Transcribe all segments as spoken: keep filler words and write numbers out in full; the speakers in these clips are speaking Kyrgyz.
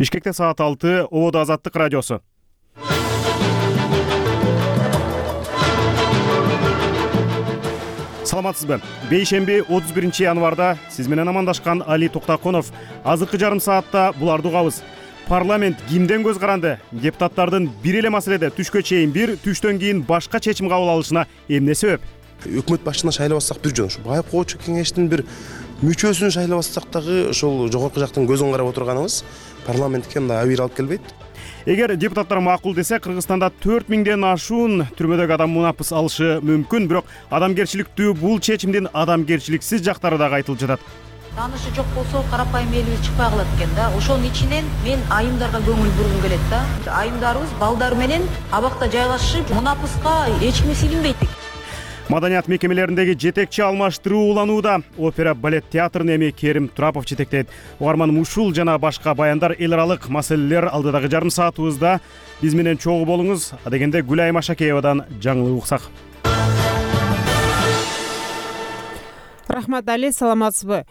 Бишкекте саат алты, Ободо Азаттык радиосу. Саламатсызбы? Бейшемби отуз биринчи январда сиз менен амандашкан Али Токтаконов. Азыркы жарым саатта буларды угабыз. Парламент кимден көз каранды? Депутаттардын бир эле маселеде түшкө чейин бир, түштөн кийин башка чечим кабыл алышына эмне себеп? Өкмөт башчысына шайлабасак бир жөн, ушу байып коочу кеңештин бир мүчөсүн шайлабасак дагы ошол жогорку жактын көзүн карап отурганыбыз парламентке мындай абийир алып келбейт. Эгер депутаттар макул десе, Кыргызстанда төрт миңден ашуун түрмөдөгү адам мунапыс алышы мүмкүн, бирок адамгерчиликтүү бул чечимдин адамгерчиликсиз жактары дагы айтылып жатат. Таанышы жок болсо карапайым элибиз чыкпай калат экен да. Ошонун ичинен мен айымдарга көңүл бургум келет да. Айымдарыбыз балдар менен абакта жайгашып, мунапыска эч ким силинбейт. Маданият мекемелериндеги жетекчи алмаштыруу уланууда. Опера балет театрын эми Керим Турапов жетектейт. Угарман ушул жана башка баяндар эл аралык маселелер алдыдагы жарым саатыбызда биз менен чогуу болуңуз. Адегенде Гүлайым Ашакеевадан жаңылык уксак. Рахмат Али, саламатсызбы?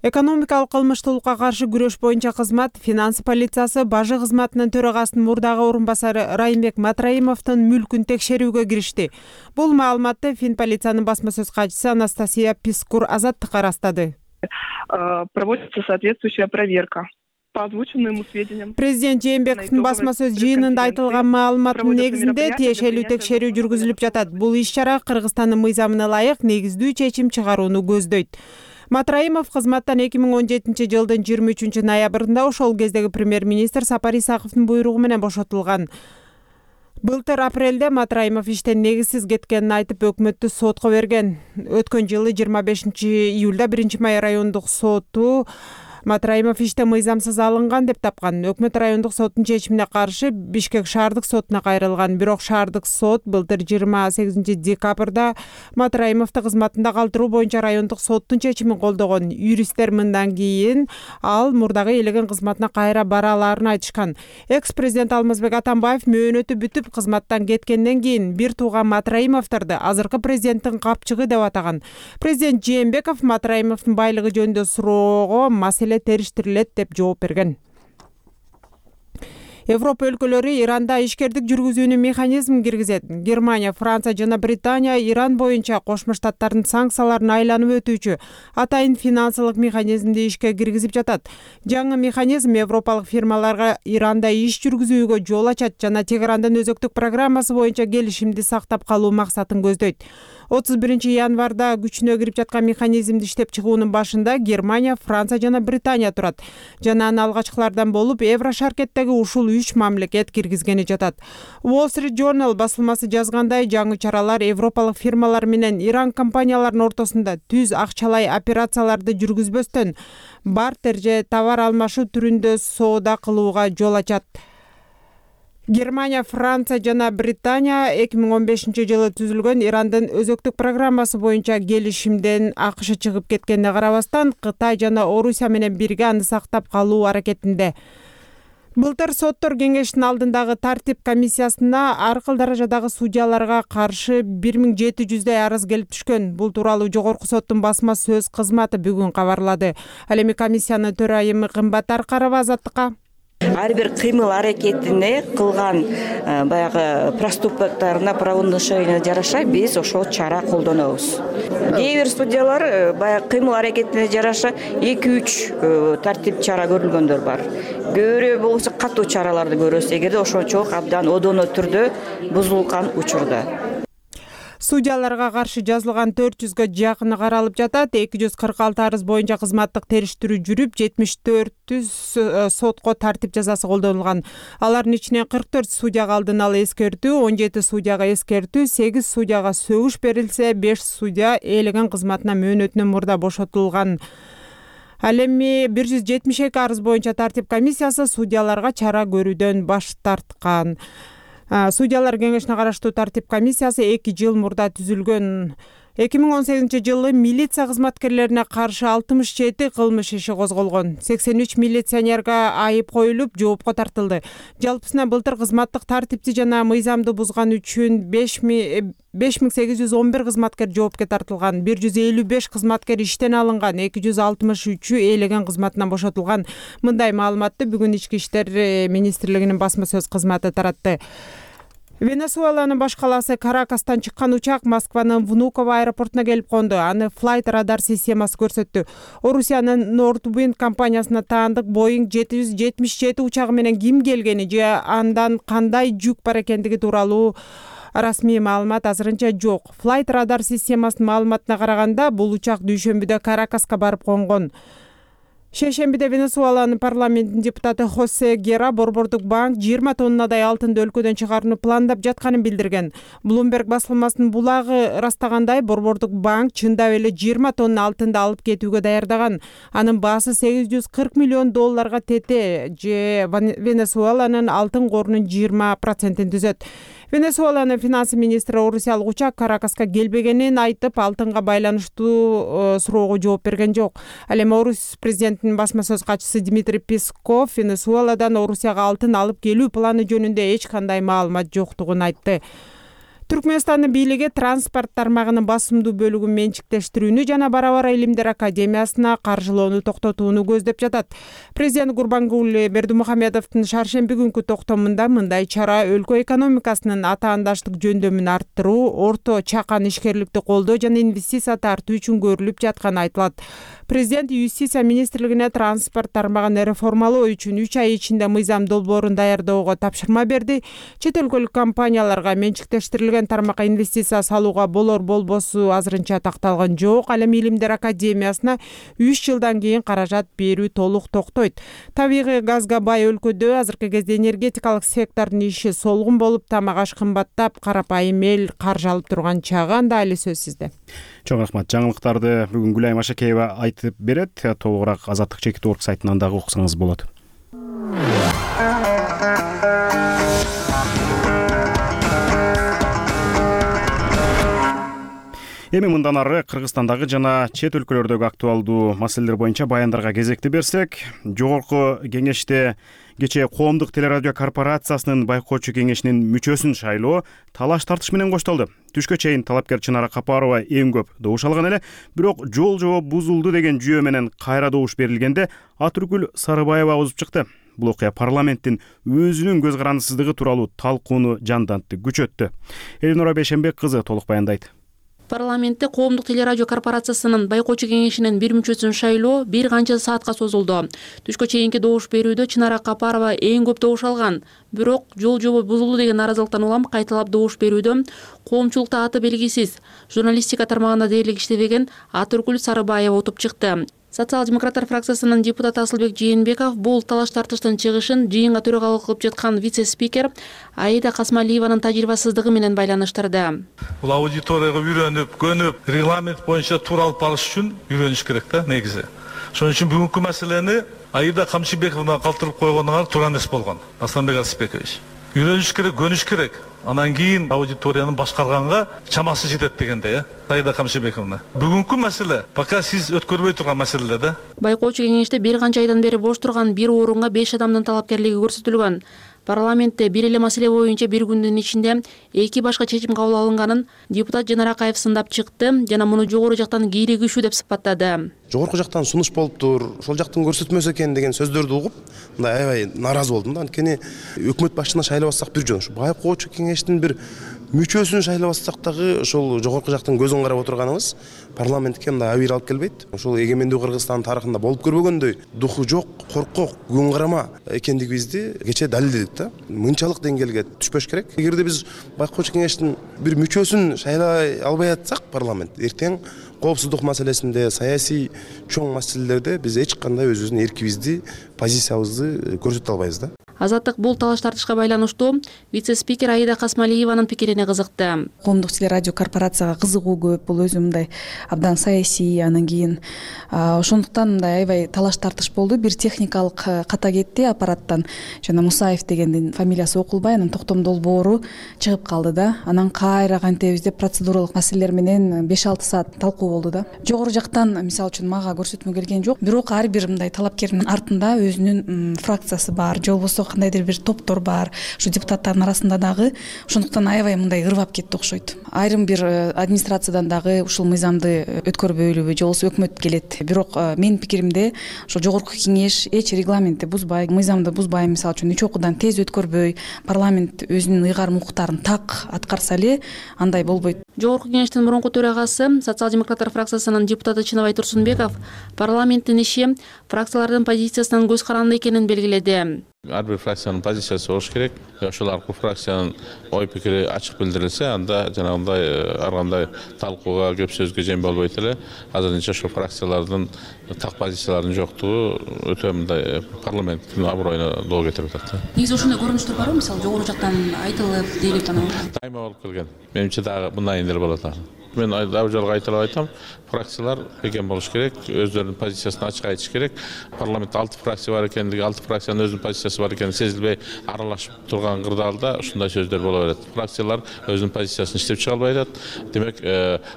Экономикалык кылмыштуулукка каршы күрөш боюнча кызмат финанс полициясы бажы кызматынын төрагасынын мурдагы орун басары Райымбек Матраимовдун мүлкүн текшерүүгө киришти. Бул маалыматты Финполициянын басма сөз катчысы Анастасия Пискур Азаттыкка ырастады. Проводится соответствующая проверка. По озвученным сведениям. Президент Жээнбековдун басма сөз жыйынында айтылган маалыматтын негизинде тиешелүү текшерүү жүргүзүлүп жатат. Бул иш-чара Кыргызстандын мыйзамына ылайык негиздүү чечим чыгарууну көздөйт. Матраимов кызматтан эки миң он жетинчи жылдын жыйырма үчүнчү ноябрында ошол кездеги премьер-министр Сапар Исаковдун буйругу менен бошотулган. Былтыр апрелде Матраимов иштен негизсиз кеткенин айтып өкмөттү сотко берген. Өткөн жылы жыйырма бешинчи июлда биринчи май райондук соту Матраимов иштен мыйзамсыз алынган деп тапкан. Өкмөт райондук соттун чечимине каршы Бишкек шаардык сотуна кайрылган. Бирок шаардык сот былтыр жыйырма сегизинчи декабрда Матраимовду кызматында калтыруу боюнча райондук соттун чечимин колдогон. Юристтер мындан кийин ал мурдагы элеген кызматына кайра бара аларын айтышкан. Экс-президент Алмазбек Атамбаев мөөнөтү бүтүп кызматтан кеткенден кийин бир тууган Матраимовдорду азыркы президенттин капчыгы деп атаган. Президент Жээнбеков Матраимовдун байлыгы жөнүндө суроого маселе териштирилет деп жооп берген. Европа өлкөлөрү Иранда ишкердик жүргүзүүнү механизм киргизет. Германия, Франция жана Британия Иран боюнча Кошмо Штаттардын санкцияларын айланып өтүүчү атайын финансылык механизмди ишке киргизип жатат. Жаңы механизм европалык фирмаларга Иранда иш жүргүзүүгө жол ачат жана Тегерандын өзөктүк программасы боюнча келишимди сактап калуу максатын көздөйт. отуз биринчи январда күчүнө кирип жаткан механизмди иштеп чыгуунун башында Германия, Франция жана Британия турат. Жана анын алгачкылардан болуп Еврошаркеттеги ушул үч мамлекет киргизгени жатат. Wall Street Journal басылмасы жазгандай, жаңы чаралар европалык фирмалар менен Иран компанияларынын ортосунда түз акчалай операцияларды жүргүзбөстөн бартер же товар алмашуу түрүндө соода кылууга жол ачат. Германия, Франция жана Британия эки миң он бешинчи жылы түзүлгөн Ирандын өзөктүк программасы боюнча келишимден АКШ чыгып кеткенине карабастан, Кытай жана Орусия менен бирге аны сактап калуу аракетинде. Былтыр соттор кеңешинин алдындагы тартип комиссиясына ар кыл даражадагы судьяларга каршы бир миң жети жүздөй арыз келип түшкөн. Бул тууралуу жогорку соттун басма сөз кызматы бүгүн кабарлады. Ал эми комиссиянын төрайымы Кымбат Аркарова Азаттыкка ар бир кыймыл аракетине кылган баягы проступкторуна правонарушениене жараша биз ошол чара колдонобуз. Кээ бир судьялар баягы кыймыл аракетине жараша эки үч тартип чара көрүлгөндөр бар. Көбүрөөк болсо катуу чараларды көрөбүз эгерде ошончолук абдан одоно түрдө бузулган учурда. Судьяларга каршы жазылган төрт жүзгө жакыны каралып жатат. эки жүз кырк алты арыз боюнча кызматтык териштирүү жүрүп, жетимиш төртү сотко тартип жазасы колдонулган. Алардын ичинен кырк төрт судьяга алдын ала эскертүү, он жети судьяга эскертүү, сегиз судьяга сөгүш берилсе, беш судья ээлеген кызматына мөөнөтүнөн мурда бошотулган. Ал эми бир жүз жетимиш эки арыз боюнча тартип комиссиясы судьяларга чара көрүүдөн баш тарткан. Судьялар кеңешине караштуу тартип комиссиясы эки жыл мурда түзүлгөн. эки миң он сегизинчи жылы милиция кызматкерлерине каршы алтымыш жети кылмыш иши козголгон. сексен үч милиционерге айып коюлуп, жоопко тартылды. Жалпысынан былтыр кызматтык тартипти жана мыйзамды бузган үчүн беш миң сегиз жүз он бир кызматкер жоопко тартылган. бир жүз элүү беш кызматкер иштен алынган, эки жүз алтымыш үчү ээлеген кызматынан бошотулган. Мындай маалыматты бүгүн Ички иштер министрлигинин басма сөз кызматы таратты. Венесуэланын баш калаасы Каракастан чыккан учак Москванын Внуково аэропортуна келип конду. Аны Flight Radar системасы көрсөттү. Орусиянын Northwind компаниясына таандык Boeing жети жүз жетимиш жети учагы менен ким келгени же андан кандай жүк бар экендиги тууралуу расмий маалымат азырынча жок. Flight Radar системасынын маалыматына караганда, бул учак дүйшөмбүдө Каракаска барып конгон. Шейшембиде Венесуэланын парламентинин депутаты Хосе Гера Борбордук банк жыйырма тоннадай алтынды өлкөдөн чыгарууну пландап жатканын билдирген. Bloomberg басылмасынын булагы растагандай, Борбордук банк чындап эле жыйырма тонна алтынды алып кетүүгө даярдаган. Анын баасы сегиз жүз кырк миллион долларга тете, же Венесуэланын алтын корунун жыйырма процентин түзөт. Венесуэланын финансы министри орусиялык учак Каракаска келбегенин айтып, алтынга байланыштуу суроого жооп берген жок. Ал эми Орус президентинин басма сөз катчысы Дмитрий Песков Венесуэладан Орусияга алтын алып келүү планы жөнүндө эч кандай маалымат жоктугун айтты. Түркмөнстандын бийлиги транспорт тармагынын басымдуу бөлүгүн менчиктештирүүнү жана Бара-Бара илимдер академиясына каржылоону токтотууну көздөп жатат. Президент Гурбангулы Бердимухамедовдун шаршемби күнкү токтомунда мындай чара өлкө экономикасынын атаандаштык жөндөмүн арттыруу, орто чакан ишкерликти колдоо жана инвестиция тартуу үчүн көрүлүп жатканы айтылат. Президент Юстиция министрлигине транспорт тармагын реформалоо үчүн үч ай ичинде мыйзам долбоорун даярдоого тапшырма берди. Чет өлкөлүк компанияларга менчиктештирилген тармакка инвестиция салууга болор болбосу азырынча такталган жок. Ал эми илимдер академиясына үч жылдан кийин каражат берүү толук токтойт. Табигый газга бай өлкөдө азыркы кезде энергетикалык сектордун иши солгун болуп, тамак аш кымбаттап, карапайым эл каржы алып турган чагы анда али сөз сизде. Чоң рахмат. Жаңылыктарды бүгүн Гүлайым Ашакеева айтып берет. Толугураак Азаттык чекит орг сайтынан дагы уксаңыз болот. Эми мындан ары Кыргызстандагы жана чет өлкөлөрдөгү актуалдуу маселелер боюнча баяндарга кезекти берсек, жогорку кеңеште кечээ Коомдук телерадио корпорациясынын байкоочу кеңешинин мүчөсүн шайлоо талаш тартыш менен коштолду. Түшкө чейин талапкер Чынара Капарова эң көп добуш алган эле, бирок жол жооп бузулду деген жүйө менен кайра добуш берилгенде Атүргүл Сарыбаева озуп чыкты. Бул окуя парламенттин өзүнүн көз карандысыздыгы тууралуу талкууну жандантты, күчөттү. Элинора Бейшенбек кызы толук баяндайт. Парламентте Коомдук телерадио корпорациясынын байкоочу кеңешинин бир мүчөсүн шайлоо бир канча саатка созулду. Түшкө чейинки добуш берүүдө Чынара Капарова эң көп добуш алган. Бирок жол жобо бузулду деген наразылыктан улам кайталап добуш берүүдө коомчулукта аты белгисиз, журналистика тармагында дээрлик иштебеген Атүргүл Сарыбаева утуп чыкты. Социал-демократтар фракциясынын депутаты Асылбек Жээнбеков бул талаш тартыштын чыгышын жыйынга төрагалык кылып жаткан вице-спикер Аида Касмалиеванын тажрыйбасыздыгы менен байланыштырды. Бул аудиторияга үйрөнүп, көнүп, регламент боюнча туура алып барыш үчүн үйрөнүш керек да, негизи. Ошон үчүн бүгүнкү маселени Аида Камчыбековна калтырып койгонуңар туура эмес болгон. Асланбек Арсбекович. Үйрөнүш керек, көнүш керек. Анан кийин аудиторияны башкарганга чамасы жетет дегенде, э? Аида Камчыбековна. Бүгүнкү маселе пока сиз өткөрбөй турган маселе да. Байкоочу кеңеште бир канча айдан бери бош турган бир орунга беш адамдын талапкерлиги көрсөтүлгөн. Парламентте бир эле маселе боюнча бир күндүн ичинде эки башка чечим кабыл алынганын депутат Жанар Акаев сындап чыкты жана муну жогору жактан кийлигишүү деп сыпаттады. Жогорку жактан сунуш болуптур, ошол жактын көрсөтмөсү экен деген сөздөрдү угуп, мындай аябай наразы болдум да. Анткени өкмөт башчысына шайлабассак бир жөн, ушу байкоочу кеңештин бир мүчөсүн шайлабассак дагы ошол жогорку жактын көзүн карап отурганыбыз парламентке мындай абийир алып келбейт. Ошол эгемендүү Кыргызстан тарыхында болуп көрбөгөндөй духу жок, коркок, күн карама экендигибизди кечээ далилдедик да. Мынчалык деңгээлге түшпөш керек. Эгерде биз байкоочу кеңештин бир мүчөсүн шайлай албай атсак парламент эртең коопсуздук маселесинде, саясий чоң маселелерде биз эч кандай өзүбүздүн эркибизди, позициябызды көрсөтө албайбыз да. Азаттык бул талаш тартышка байланыштуу вице спикер Аида Касмалиеванын пикирине кызыкты. Коомдук телерадио корпорацияга кызыгуу көп, бул өзү мындай абдан саясий, анан кийин ошондуктан мындай аябай талаш тартыш болду. Бир техникалык ката кетти аппараттан. Жана Мусаев дегендин фамилиясы окулбай, анан токтом долбоору чыгып калды да. Анан кайра кантебиз деп процедуралык маселелер менен беш алты саат талкуу болду да. Жогору жактан мисалы үчүн мага көрсөтмө келген жок. Бирок ар бир мындай талапкердин артында өзүнүн фракциясы бар, же болбосо кандайдыр бир топтор бар. Ушу депутаттардын арасында дагы ошондуктан аябай мындай ырвап кетти окшойт. Айрым бир администрациядан дагы ушул мыйзамды өткөрбөйлүбү, же болбосо өкмөт келет. Бирок менин пикиримде ошо жогорку кеңеш эч регламентти бузбай, мыйзамды бузбай, мисалы үчүн үч окуудан тез өткөрбөй, парламент өзүнүн ыйгарым укуктарын так аткарса эле андай болбойт. Жогорку кеңештин мурунку төрагасы, социал-демократтар фракциясынын депутаты Чынабай Турсунбеков парламенттин иши фракциялардын позициясынан көз каранды экенин белгиледи. Ар бир фракциянын позициясы болуш керек. Ошол аркылуу фракциянын ой пикири ачык билдирилсе, анда жанагындай ар кандай талкууга, көп сөзгө жем болбойт эле. Азырынча ошол фракциялардын так позицияларынын жоктугу өтө мындай парламенттин аброюна доо кетирип атат. Негизи ошондой көрүнүштөр барбы? Мисалы, жогору жактан айтылып, дейилип анан дайыма болуп келген. Менимче дагы мындай эле болот. Мен дагы жолго айтылып айтам, фракциялар бекем болуш керек, өздөрүнүн позициясын ачык айтыш керек. Парламентте алты фракция бар экендиги, алты фракциянын өзүнүн позициясы бар экени сезилбей аралашып турган кырдаалда ушундай сөздөр боло берет. Фракциялар өзүнүн позициясын иштеп чыга албай атат. Демек,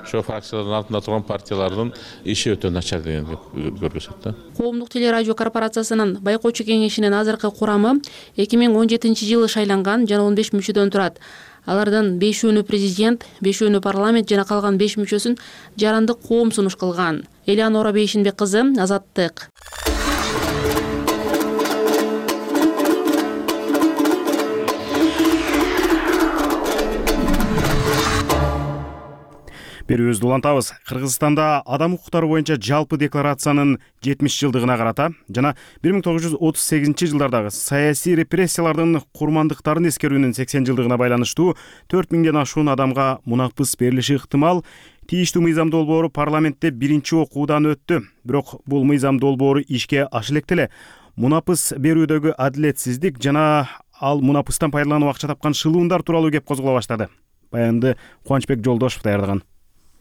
ошо фракциялардын артында турган партиялардын иши өтө начар дегенди көрсөтөт да. Коомдук телерадио корпорациясынын байкоочу кеңешинин азыркы курамы эки миң он жетинчи жылы шайланган жана он беш мүчөдөн турат. Алардын бешөөнү президент, бешөөнү парламент жана калган беш мүчөсүн жарандык коом сунуш кылган. Элеонора Бейшинбек кызы, Азаттык. Берүүбүздү улантабыз. Кыргызстанда адам укуктары боюнча жалпы декларациянын жетимиш жылдыгына карата жана бир миң тогуз жүз отуз сегизинчи жылдардагы саясий репрессиялардын курмандыктарын эскерүүнүн сексен жылдыгына байланыштуу төрт миңден ашуун адамга мунапыс берилиши ыктымал. Тийиштүү мыйзам долбоору парламентте биринчи окуудан өттү. Бирок бул мыйзам долбоору ишке аша электе эле мунапыс берүүдөгү адилетсиздик жана ал мунапыстан пайдаланып акча тапкан шылуундар тууралуу кеп козголо баштады. Баянды Кубанычбек Жолдошов даярдаган.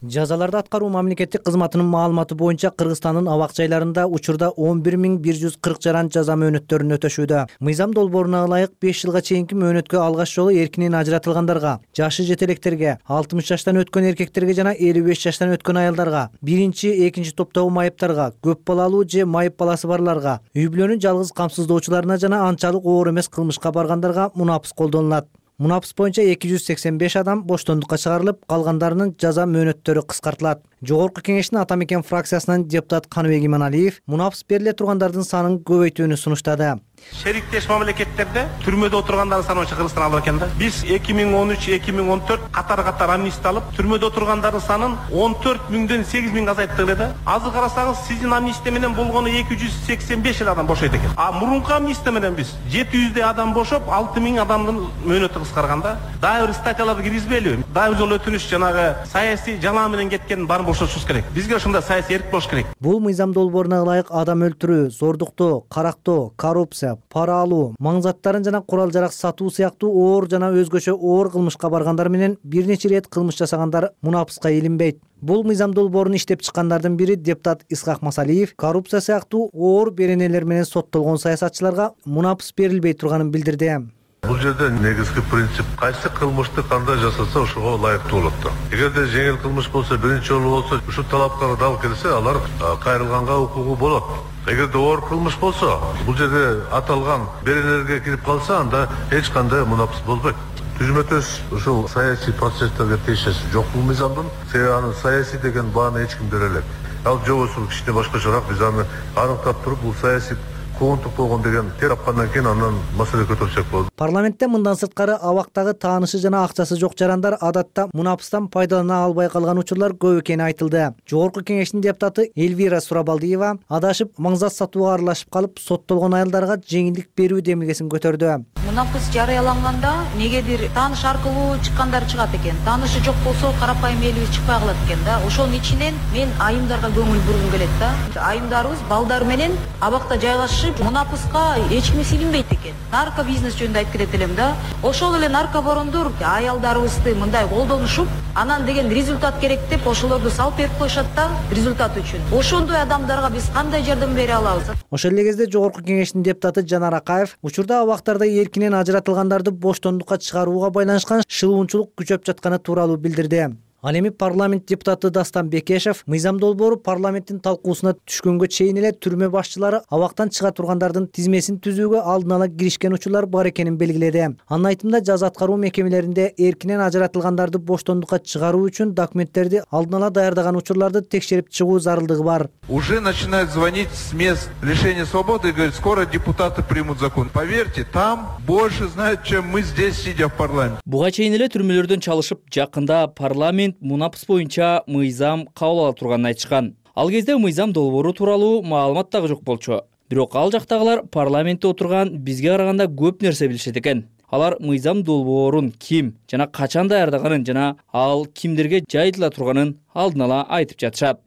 Жазаларды аткаруу мамлекеттик кызматынын маалыматы боюнча Кыргызстандын абак жайларында учурда он бир миң бир жүз кырк жаран жаза мөөнөттөрүн өтөшүүдө. Мыйзам долбооруна ылайык беш жылга чейинки мөөнөткө алгач жолу эркинен ажыратылгандарга, жашы жетелектерге, алтымыш жаштан өткөн эркектерге жана элүү беш жаштан өткөн аялдарга, биринчи, экинчи топтогу майыптарга, көп балалуу же майып баласы барларга, үй бүлөнүн жалгыз камсыздоочуларына жана анчалык оор эмес кылмышка баргандарга мунапыс колдонулат. Мунапыс боюнча эки жүз сексен беш адам боштондукка чыгарылып, калгандарынын жаза мөөнөттөрү кыскартылат. Жогорку кеңештин Ата мекен фракциясынан депутат Каныбек Иманалиев мунапыс бериле тургандардын санын көбөйтүүнү сунуштады. Шериктеш мамлекеттерде түрмөдө отургандардын саны боюнча Кыргызстан алып экен да. Биз эки миң он үч эки миң он төрт катар-катар амнистия алып, түрмөдө отургандардын санын он төрт миңден сегиз миңге азайттык эле да. Азыр карасаңыз, сиздин амнистия менен болгону эки жүз сексен беш адам бошойт экен. А мурунку амнистия менен биз жети жүздөй адам бошоп, алты миң адамдын мөөнөтү кыскарган да. Дагы бир статьяларды киргизбейли? Дагы бир жолу өтүнүш жанагы саясий жалаа менен кеткен баарын бошотушубуз керек. Бизге ушундай саясий эрк болуш керек. Бул мыйзам долбооруна ылайык адам өлтүрүү, зордуктоо, карактоо, коррупция, пара алуу, маң заттарын жана курал жарак сатуу сыяктуу оор жана өзгөчө оор кылмышка баргандар менен бир нече ирет кылмыш жасагандар мунапыска илинбейт. Бул мыйзам долбоорун иштеп чыккандардын бири депутат Исхак Масалиев коррупция сыяктуу оор беренелер менен соттолгон саясатчыларга мунапыс берилбей турганын билдирди. Бул жерде негизги принцип кайсы кылмышты кандай жасаса ошого ылайыктуу болот да. Эгерде жеңил кылмыш болсо, биринчи жолу болсо, ушул талапкага дал келсе, алар кайрылганга укугу болот. Эгерде оор кылмыш болсо, бул жерде аталган беренелерге кирип калса, анда эч кандай мунапыс болбойт. Түзмөтөс ушул саясий процесстерге тиешеси жок бул мыйзамдын. Себеби анын саясий деген бааны эч ким бере элек. Ал жобосу кичине башкачараак, биз аны аныктап туруп, бул саясий коомдук болгон деген терапкандан кийин андан маселе көтөрсөк болот. Парламентте мындан сырткары абактагы таанышы жана акчасы жок жарандар адатта мунапыстан пайдалана албай калган учурлар көп экени айтылды. Жогорку кеңештин депутаты Эльвира Сурабалдиева адашып маңзат сатууга аралашып калып, соттолгон аялдарга жеңилдик берүү демилгесин көтөрдү. Мунапыс жарыяланганда негедир тааныш аркылуу чыккандар чыгат экен. Таанышы жок болсо карапайым элибиз чыкпай калат экен да. Ошонун ичинен мен айымдарга көңүл бургум келет да. Айымдарыбыз балдар менен абакта жайгашып жайгашып, мунапыска эч ким силинбейт экен. Нарко бизнес жөнүндө айтып кетет элем да. Ошол эле наркобарондор аялдарыбызды мындай колдонушуп, анан деген результат керек деп ошолорду салып берип коюшат да, результат үчүн. Ошондой адамдарга биз кандай жардам бере алабыз? Ошол эле кезде Жогорку Кеңештин депутаты Жанар Акаев учурда абактарда эркинен ажыратылгандарды боштондукка чыгарууга байланышкан шылуунчулук күчөп жатканы тууралуу билдирди. Ал эми парламент депутаты Дастан Бекешев мыйзам долбоору парламенттин талкуусуна түшкөнгө чейин эле түрмө башчылары абактан чыга тургандардын тизмесин түзүүгө алдын ала киришкен учурлар бар экенин белгиледи. Анын айтымында жаза аткаруу мекемелеринде эркинен ажыратылгандарды боштондукка чыгаруу үчүн документтерди алдын ала даярдаган учурларды текшерип чыгуу зарылдыгы бар. Уже начинают звонить с мест лишения свободы и говорят, скоро депутаты примут закон. Поверьте, там больше знают, чем мы здесь, сидя в парламенте. Буга чейин эле түрмөлөрдөн чалышып, жакында парламент мунапыс боюнча мыйзам кабыл ала турганын айтышкан. Ал кезде мыйзам долбоору тууралуу маалымат дагы жок болчу. Бирок ал жактагылар парламентте отурган бизге караганда көп нерсе билишет экен. Алар мыйзам долбоорун ким жана качан даярдаганын жана ал кимдерге жайылтыла турганын алдын ала айтып жатышат.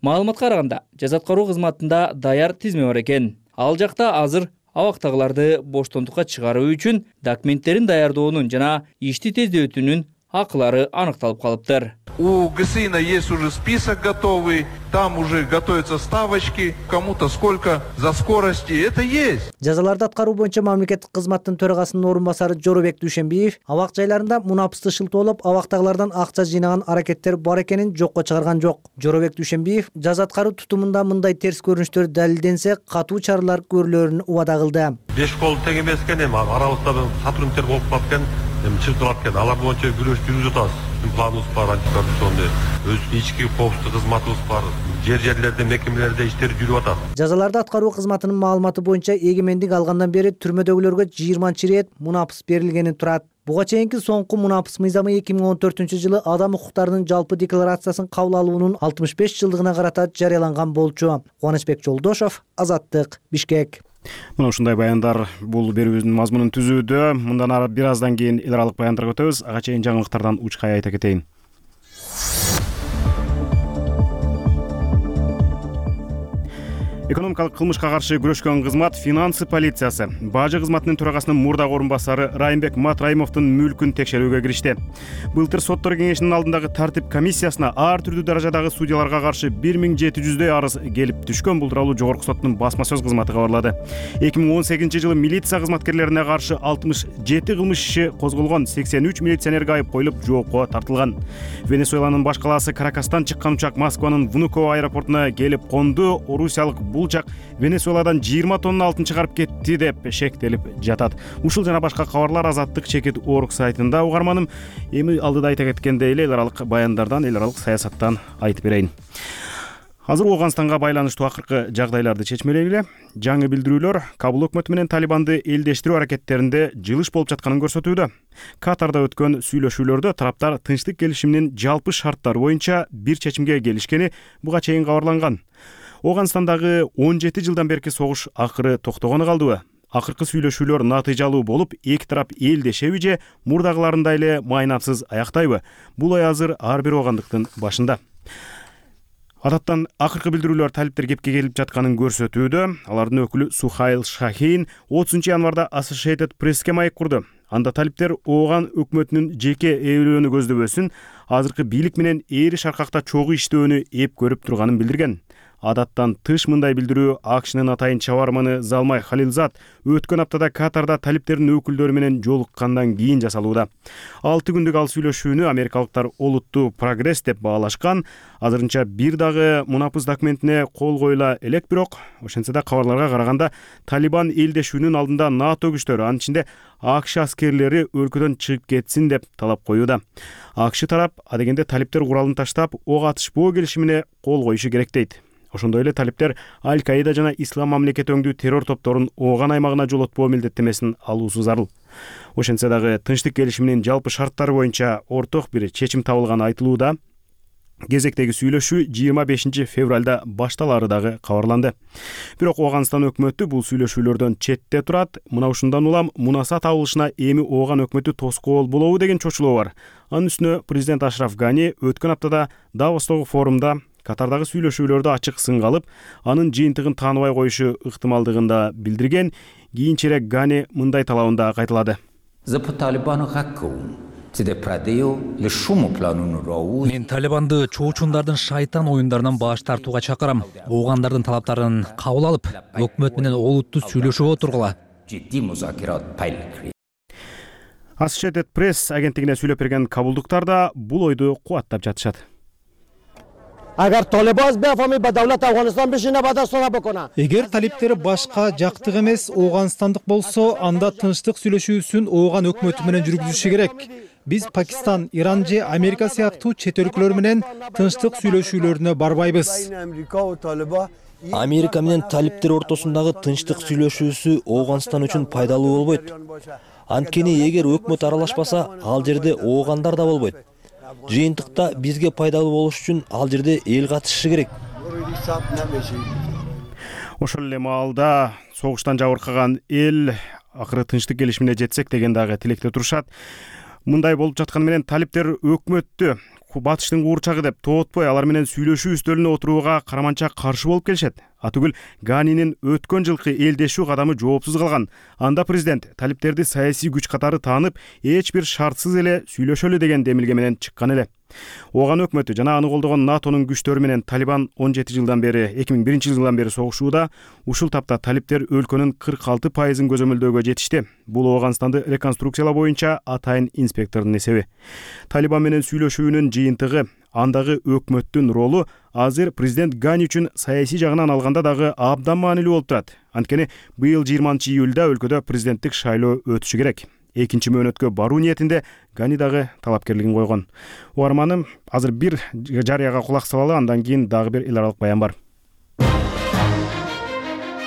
Маалыматка караганда, жаза аткаруу кызматында даяр тизме бар экен. Ал жакта азыр абактагыларды боштондукка чыгаруу үчүн документтерин даярдоонун жана ишти тездетүүнүн акылары аныкталып калыптыр. У ГСИНа есть уже список готовый, там уже готовятся ставочки, кому-то сколько за скорости, это есть. Жазаларды аткаруу боюнча мамлекеттик кызматтын төрагасынын орун басары Жоробек Дүйшенбиев абак жайларында мунапысты шылтоолоп абактагылардан акча жыйнаган аракеттер бар экенин жокко чыгарган жок. Жоробек Дүйшенбиев жаза аткаруу тутумунда мындай терс көрүнүштөр далилденсе катуу чаралар көрүлөрүн убада кылды. Беш кол тең эмес экен, эми аралыкта сотрудниктер болуп калат экен, эми чыгып экен. Алар боюнча күрөш жүргүзүп атабыз. Планыбыз бар, антикоррупционный, өз ички коопсуздук кызматыбыз бар. Жер жерлерде, мекемелерде иштер жүрүп атат. Жазаларды аткаруу кызматынын маалыматы боюнча эгемендик алгандан бери түрмөдөгүлөргө жыйырманчы ирет мунапыс берилгени турат. Буга чейинки соңку мунапыс мыйзамы эки миң он төртүнчү жылы адам укуктарынын жалпы декларациясын кабыл алуунун алтымыш беш жылдыгына карата жарыяланган болчу. Кубанычбек Жолдошов, Азаттык, Бишкек. Мына ушундай баяндар бул берүүбүздүн мазмунун түзүүдө. Мындан ары бир аздан кийин эл аралык баяндарга өтөбүз. Ага чейин жаңылыктардан учкай айта кетейин. Экономикалык кылмышка каршы күрөшкөн кызмат финансы полициясы бажы кызматынын төрагасынын мурдагы орун басары Райымбек Матраимовдун мүлкүн текшерүүгө киришти. Былтыр соттор кеңешинин алдындагы тартип комиссиясына ар түрдүү даражадагы судьяларга каршы бир миң жети жүздөй арыз келип түшкөн. Бул тууралуу Жогорку соттун басма сөз кызматы кабарлады. эки миң он сегизинчи жылы милиция кызматкерлерине каршы алтымыш жети кылмыш иши козголгон, сексен үч милиционерге айып коюлуп, жоопко тартылган. Венесуэланын баш калаасы Каракастан чыккан учак Москванын Внуково аэропортуна келип конду. Орусиялык Булчак Венесуэладан жыйырма тонна алтын чыгарып кетти деп шектелип жатат. Ушул жана башка кабарлар Азаттык чекит орг сайтында. Угарманым, эми алдыда айта кеткендей эле эл аралык баяндардан, эл аралык саясаттан айтып берейин. Азыр Ооганстанга байланыштуу акыркы жагдайларды чечмелегиле. Жаңы билдирүүлөр Кабул өкмөтү менен Талибанды элдештирүү аракеттеринде жылыш болуп жатканын көрсөтүүдө. Катарда өткөн сүйлөшүүлөрдө тараптар тынчтык келишиминин жалпы шарттары боюнча бир чечимге келишкени буга чейин кабарланган. Ооганстандагы он жети жылдан берки согуш акыры токтогону калдыбы? Акыркы сүйлөшүүлөр натыйжалуу болуп, эки тарап элдешеби же мурдагыларындай эле майнапсыз аяктайбы? Бул ой азыр ар бир оогандыктын башында. Адаттан акыркы билдирүүлөр талиптер кепке келип жатканын көрсөтүүдө. Алардын өкүлү Сухайл Шахин отузунчу январда Associated Press'ке маек курду. Анда талиптер Ооган өкмөтүнүн жеке ээлөөнү көздөбөсүн, азыркы бийлик менен эри шаркакта чогуу иштөөнү эп көрүп турганын билдирген. Адаттан тыш мындай билдирүү АКШнын атайын чабарманы Залмай Халилзад өткөн аптада Катарда талиптердин өкүлдөрү менен жолуккандан кийин жасалууда. алты күндүк ал сүйлөшүүнү америкалыктар олуттуу прогресс деп баалашкан. Азырынча бир дагы мунапыс документине кол коюла элек, бирок ошентсе да кабарларга караганда Талибан элдешүүнүн алдында НАТО күчтөрү, анын ичинде АКШ аскерлери өлкөдөн чыгып кетсин деп талап коюуда. АКШ тарап адегенде талиптер куралын таштап, ок атышпоо келишимине кол коюшу керек дейт. Ошондой эле талиптер Аль-Каида жана Ислам мамлекети өңдүү террор топторун Ооган аймагына жолотпоо милдеттемесин алуусу зарыл. Ошентсе дагы тынчтык келишиминин жалпы шарттары боюнча орток бир чечим табылганы айтылууда. Кезектеги сүйлөшүү жыйырма бешинчи февралда башталары дагы кабарланды. Бирок Ооганстан өкмөтү бул сүйлөшүүлөрдөн четте турат. Мына ушундан улам мунаса табылышына эми Ооган өкмөтү тоскоол болобу деген чочулоо бар. Анын үстүнө президент Ашраф Гани өткөн аптада Давостогу форумда Катардагы сүйлөшүүлөрдө ачык сынга алып, анын жыйынтыгын тааныбай коюшу ыктымалдыгын да билдирген. Кийинчерээк Гани мындай талабын да кайталады. Мен Талибанды чоочундардын шайтан оюндарынан баш тартууга чакырам. Оогандардын талаптарын кабыл алып, өкмөт менен олуттуу сүйлөшүүгө отургула. Associated Press агенттигине сүйлөп берген кабулдуктар да бул ойду кубаттап жатышат. Эгер талиптер башка жактык эмес Ооганстандык болсо, анда тынчтык сүйлөшүүсүн Ооган өкмөтү менен жүргүзүшү керек. Биз Пакистан, Иран же Америка сыяктуу чет өлкөлөр менен тынчтык сүйлөшүүлөрүнө барбайбыз. Америка менен талиптер ортосундагы тынчтык сүйлөшүүсү Ооганстан үчүн пайдалуу болбойт. Анткени эгер өкмөт аралашпаса, ал жерде оогандар да болбойт. Жыйынтыкта бизге пайдалуу болуш үчүн ал жерде эл катышышы керек. Ошол эле маалда согуштан жабыркаган эл акыры тынчтык келишимине жетсек деген дагы тилекте турушат. Мындай болуп жатканы менен талиптер өкмөттү батыштын куурчагы деп тоотпой, алар менен сүйлөшүү үстөлүнө отурууга караманча каршы болуп келишет. Атүгүл Ганинин өткөн жылкы элдешүү кадамы жоопсуз калган. Анда президент талиптерди саясий күч катары таанып, эч бир шартсыз эле сүйлөшөлү деген демилге менен чыккан эле. Ооган өкмөтү жана аны колдогон натонун күчтөрү менен Талибан он жети жылдан бери, эки миң биринчи жылдан бери согушууда. Ушул тапта талиптер өлкөнүн кырк алты пайызын көзөмөлдөөгө жетишти. Бул Ооганстанды реконструкциялоо боюнча атайын инспектордун эсеби. Талибан менен сүйлөшүүнүн жыйынтыгы, андагы өкмөттүн ролу азыр президент Гани үчүн саясий жагынан алганда дагы абдан маанилүү болуп турат. Анткени быйыл жыйырманчы июлда өлкөдө президенттик шайлоо өтүшү керек. Экинчи мөөнөткө баруу ниетинде Гани дагы талапкерлигин койгон. Угарманым, азыр бир жарыяга кулак салалы, андан кийин дагы бир эл аралык баян бар.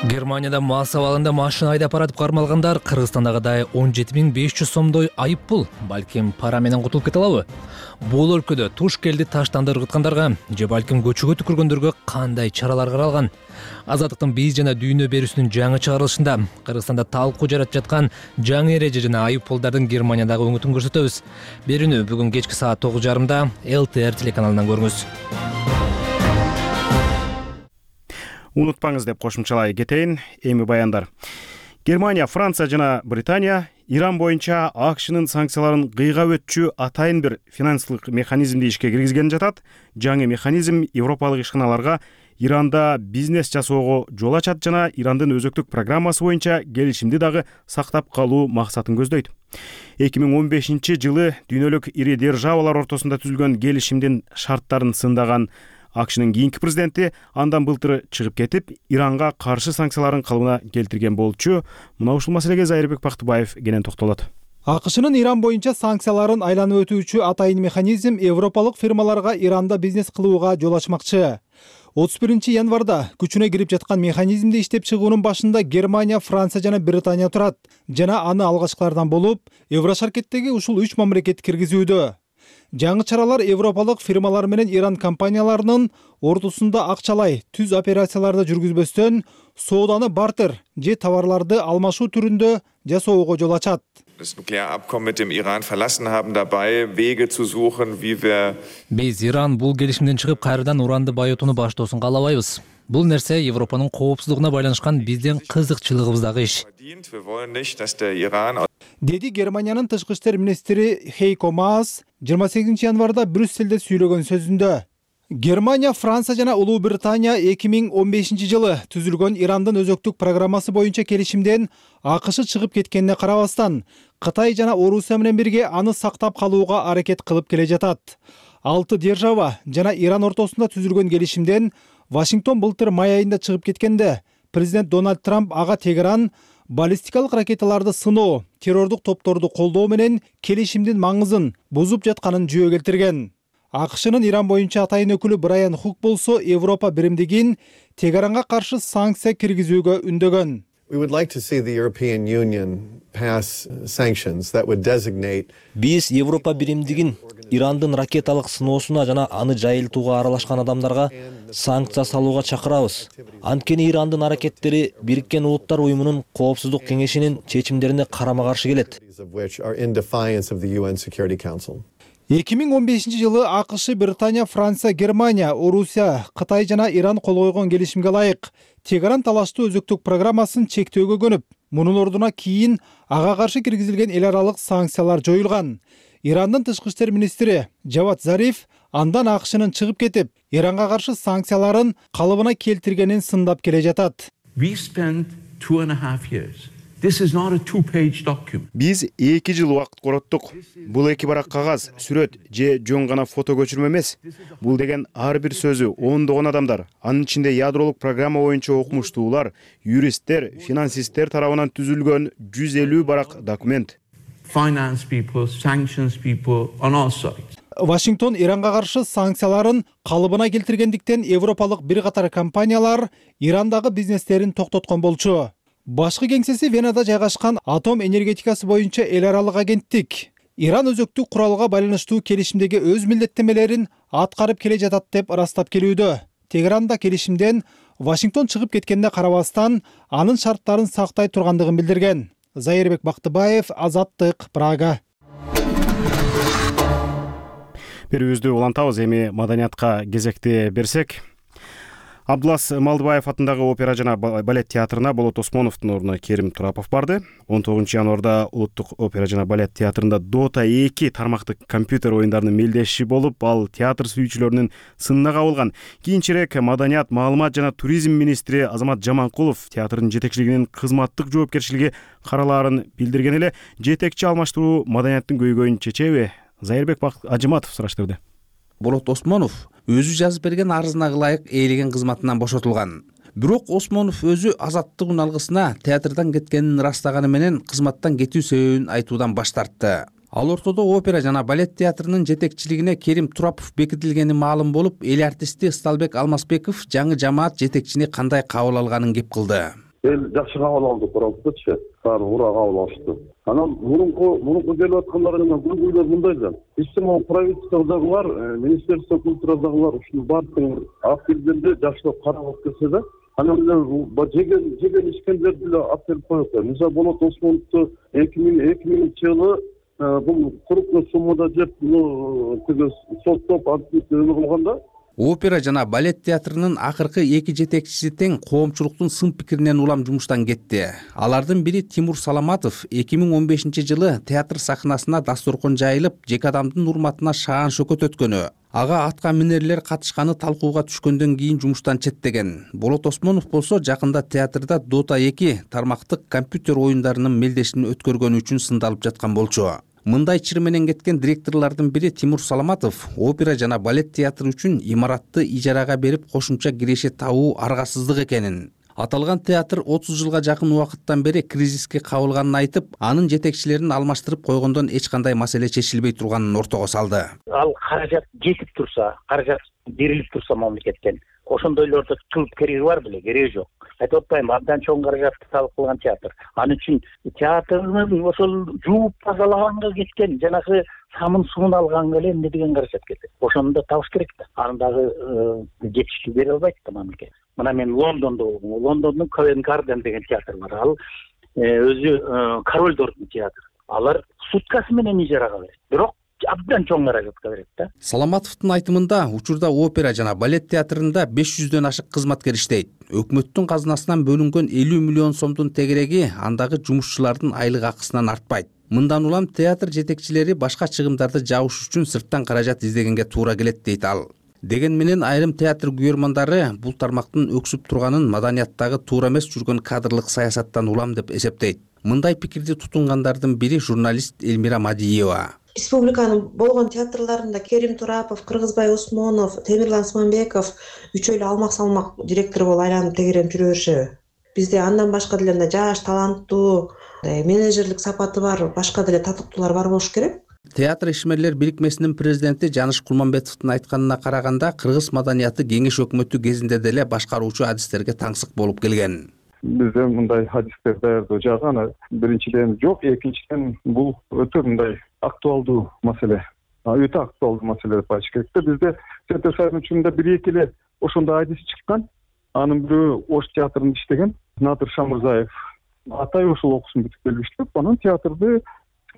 Германияда мас абалында машина айдап баратып кармалгандар Кыргызстандагыдай он жети миң беш жүз сомдой айып пул, балким пара менен кутулуп кете алабы? Бул өлкөдө туш келди таштанды ыргыткандарга же балким көчөгө түкүргөндөргө кандай чаралар каралган? Азаттыктын биз жана дүйнө берүүсүнүн жаңы чыгарылышында Кыргызстанда талкуу жаратып жаткан жаңы эреже жана айып пулдардын Германиядагы өңүтүн көрсөтөбүз. Берүүнү бүгүн кечки саат тогуз жарымда эл ти эр телеканалынан көрүңүз. Унутпаңыз деп кошумчалай кетейин. Эми баяндар. Германия, Франция жана Британия Иран боюнча АКШнын санкцияларын кыйгап өтчү атайын бир финансылык механизмди ишке киргизген жатат. Жаңы механизм европалык ишканаларга Иранда бизнес жасоого жол ачат жана Ирандын өзөктүк программасы боюнча келишимди дагы сактап калуу максатын көздөйт. эки миң он бешинчи жылы дүйнөлүк ири державалар ортосунда түзүлгөн келишимдин шарттарын сындаган АКШнын кийинки президенти андан былтыр чыгып кетип, Иранга каршы санкцияларын калыбына келтирген болчу. Мына ушул маселеге Зайырбек Бактыбаев кенен токтолот. АКШнын Иран боюнча санкцияларын айланып өтүүчү атайын механизм европалык фирмаларга Иранда бизнес кылууга жол ачмакчы. отуз биринчи январда күчүнө кирип жаткан механизмди иштеп чыгуунун башында Германия, Франция жана Британия турат. Жана аны алгачкылардан болуп, Еврошаркеттеги ушул үч мамлекет киргизүүдө. Жаңы чаралар европалык фирмалар менен Иран компанияларынын ортосунда акчалай түз операцияларды жүргүзбөстөн сооданы бартер же товарларды алмашуу түрүндө жасоого жол ачат. Das Nuklearabkommen mit dem Iran verlassen haben, dabei Wege zu suchen, wie wir Биз Иран бул келишимден чыгып кайрадан уранды байытууну баштоосун каалабайбыз. Бул нерсе Европанын коопсуздугуна байланышкан биздин кызыкчылыгыбыздагы иш. Wir wollen nicht, dass der Iran Деди Германиянын тышкы иштер министри Хейко Маас жыйырма сегизинчи январда Брюсселде сүйлөгөн сөзүндө Германия, Франция жана Улуу Британия эки миң он бешинчи жылы түзүлгөн Ирандын өзөктүк программасы боюнча келишимден АКШ чыгып кеткенине карабастан, Кытай жана Орусия менен бирге аны сактап калууга аракет кылып келе жатат. Алты держава жана Иран ортосунда түзүлгөн келишимден Вашингтон былтыр май айында чыгып кеткенде, президент Дональд Трамп ага Тегеран баллистикалык ракеталарды сыноо, террордук топторду колдоо менен келишимдин маңызын бузуп жатканын жүйө келтирген. АКШнын Иран боюнча атайын өкүлү Брайан Хук болсо Европа биримдигин Тегеранга каршы санкция киргизүүгө үндөгөн. We would like to see the European Union pass sanctions that would designate Биз Европа биримдигин Ирандын ракеталык сыноосуна жана аны жайылтууга аралашкан адамдарга санкция салууга чакырабыз. Анткени Ирандын аракеттери Бириккен Улуттар уюмунун Коопсуздук кеңешинин чечимдерине карама-каршы келет. эки миң он бешинчи жылы АКШ, Британия, Франция, Германия, Орусия, Кытай жана Иран кол койгон келишимге ылайык Тегеран талаштуу өзөктүк программасын чектөөгө көнүп, мунун ордуна кийин ага каршы киргизилген эл аралык санкциялар жоюлган. Ирандын тышкы иштер министри Жавад Зариф андан АКШнын чыгып кетип, Иранга каршы санкцияларын калыбына келтиргенин сындап келе жатат. We spent two and a half years. This is not a two-page document. Биз эки жыл убакыт короттук. Бул эки барак кагаз, сүрөт же жөн гана фото көчүрмө эмес. Бул деген ар бир сөзү ондогон адамдар, анын ичинде ядролук программа боюнча окумуштуулар, юристтер, финансисттер тарабынан түзүлгөн жүз элүү барак документ. Finance people, sanctions people on all sides. Вашингтон Иранга каршы санкцияларын калыбына келтиргендиктен европалык бир катар компаниялар Ирандагы бизнестерин токтоткон болчу. Башкы кеңсеси Венада жайгашкан атом энергетикасы боюнча эл аралык агенттик Иран өзөктүк куралга байланыштуу келишимдеги өз милдеттенмелерин аткарып келе жатат деп ырастап келүүдө. Тегеранда келишимден Вашингтон чыгып кеткенине карабастан, анын шарттарын сактай тургандыгын билдирген. Зайырбек Бактыбаев, Азаттык, Прага. Берүүбүздү улантабыз, эми маданиятка кезекти берсек. Абдулас Малдыбаев атындагы опера жана балет театрына Болот Осмоновдун ордуна Керим Турапов барды. он тогузунчу январда Улуттук опера жана балет театрында Дота эки тармактык компьютер оюндарынын мелдеши болуп, ал театр сүйүүчүлөрүнүн сынына кабылган. Кийинчерээк маданият, маалымат жана туризм министри Азамат Жаманкулов театрдын жетекчилигинин кызматтык жоопкерчилиги каралаарын билдирген эле. Жетекчи алмаштыруу маданияттын көйгөйүн чечеби? Зайырбек Ажыматов сураштырды. Болот Осмонов өзү жазып берген арызына ылайык ээлеген кызматынан бошотулган. Бирок Осмонов өзү азаттык алгысына театрдан кеткенин ырастаганы менен кызматтан кетүү себебин айтуудан баш тартты. Ал ортодо опера жана балет театрынын жетекчилигине Керим Турапов бекитилгени маалым болуп, эл артисти Сталбек Алмазбеков жаңы жамаат жетекчини кандай кабыл алганын кеп кылды. Эл жакшы кабыл алды, Тураповчу. Баары ура кабыл алышты. Анан мурунку мурунку келип аткандарынан көйгөйлөр мындай да. Биздин правительстводагылар, министерство культурадагылар ушул баардыгын алып келгенде жакшылап карап келсе да, анан жеген жеген ишкендерди деле алып келип коет. Мисалы Болот Осмоновду эки миңинчи жылы бул крупный суммада жеп тиги соттоп өлү кылганда опера жана балет театрынын акыркы эки жетекчиси тең коомчулуктун сын пикиринен улам жумуштан кетти. Алардын бири Тимур Саламатов эки миң он бешинчи жылы театр сахнасына дасторкон жайылып, жеке адамдын урматына шаан шөкөт өткөнү, ага атка минерлер катышканы талкууга түшкөндөн кийин жумуштан четтеген. Болот Осмонов болсо жакында театрда Дота эки тармактык компьютер оюндарынын мелдешин өткөргөнү үчүн сындалып жаткан болчу. Мындай чыр менен кеткен директорлордун бири Тимур Саламатов опера жана балет театры үчүн имаратты ижарага берип кошумча киреше табуу аргасыздык экенин. Аталган театр отуз жылга жакын убакыттан бери кризиске кабылганын айтып, анын жетекчилерин алмаштырып койгондон эч кандай маселе чечилбей турганын ортого салды. Ал каражат жетип турса, каражат берилип турса мамлекеттен, ошондойлорду кылып кереги бар беле, кереги жок. Айтып атпайм, абдан чоң каражатты талап кылган театр. Анын үчүн театрдын ошол жууп тазалаганга кеткен, жанагы самын суун алганга эле эмне деген каражат кетет. Ошону да табыш керек да. Аны дагы жетиштүү бере албайт да мамлекет. Мына мен Лондондо болдум. Лондондун Ковент Гарден деген театр бар. Ал өзү корольдордун театры. Алар суткасы менен ижарага берет. Бирок абдан чоң каражатка берет да. Саламатовдун айтымында, учурда опера жана балет театрында беш жүздөн ашык кызматкер иштейт. Өкмөттүн казынасынан бөлүнгөн элүү миллион сомдун тегереги андагы жумушчулардын айлык акысынан артпайт. Мындан улам театр жетекчилери башка чыгымдарды жабыш үчүн сырттан каражат издегенге туура келет дейт ал. Деген менен айрым театр күйөрмандары бул тармактын өксүп турганын маданияттагы туура эмес жүргөн кадрлык саясаттан улам деп эсептейт. Мындай пикирди тутунгандардын бири журналист Элмира Мадиева. Республиканын болгон театрларында Керим Турапов, Кыргызбай Осмонов, Темирлан Сманбеков үчөө эле алмак-салмак директор болуп айланып тегеренип жүрө беришеби? Бизде андан башка деле мындай жаш, таланттуу, менеджерлик сапаты бар, башка деле татыктуулар бар болуш керек. Театр ишмерлер бирикмесинин президенти Жаныш Кулманбетовдун айтканына караганда, кыргыз маданияты кеңеш өкмөтү кезинде деле башкаруучу адистерге таңсык болуп келген. Бизде мындай адистер даярдоо жагы аны биринчиден жок, экинчиден бул өтө мындай актуалдуу маселе. Өтө актуалдуу маселе деп айтыш керек да. Бизде театр сайрын учурунда бир-эки эле ошондой адис чыккан. Анын бирөө Ош театрында иштеген Надыр Шамырзаев. Атай ошол окуусун бүтүп келип иштеп, анан театрды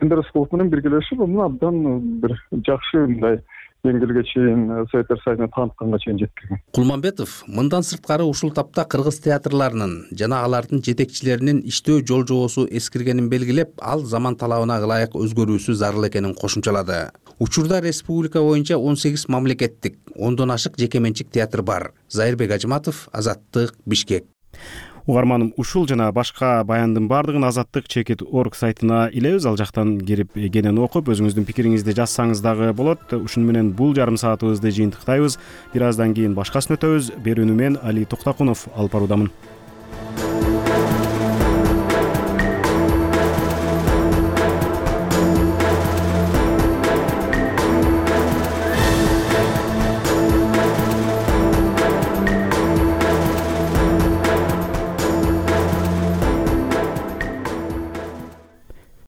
Эндер Рыскулов менен биргелешип муну абдан бир жакшы мындай деңгээлге чейин советтер союзуна таанытканга чейин жеткирген. Кулманбетов мындан сырткары ушул тапта кыргыз театрларынын жана алардын жетекчилеринин иштөө жол жобосу эскиргенин белгилеп, ал заман талабына ылайык өзгөрүүсү зарыл экенин кошумчалады. Учурда республика боюнча он сегиз мамлекеттик, ондон ашык жеке менчик театр бар. Зайырбек Ажыматов, Азаттык, Бишкек. Угарманым, ушул жана башка баяндын бардыгын азаттык чекит точка орг сайтына илебиз. Ал жактан кирип кенен окуп, өзүңүздүн пикириңизди жазсаңыз дагы болот. Ушуну менен бул жарым саатыбызды жыйынтыктайбыз. Бир аздан кийин башкасын өтөбүз. Берүүнү мен Али Токтокунов алып баруудамын.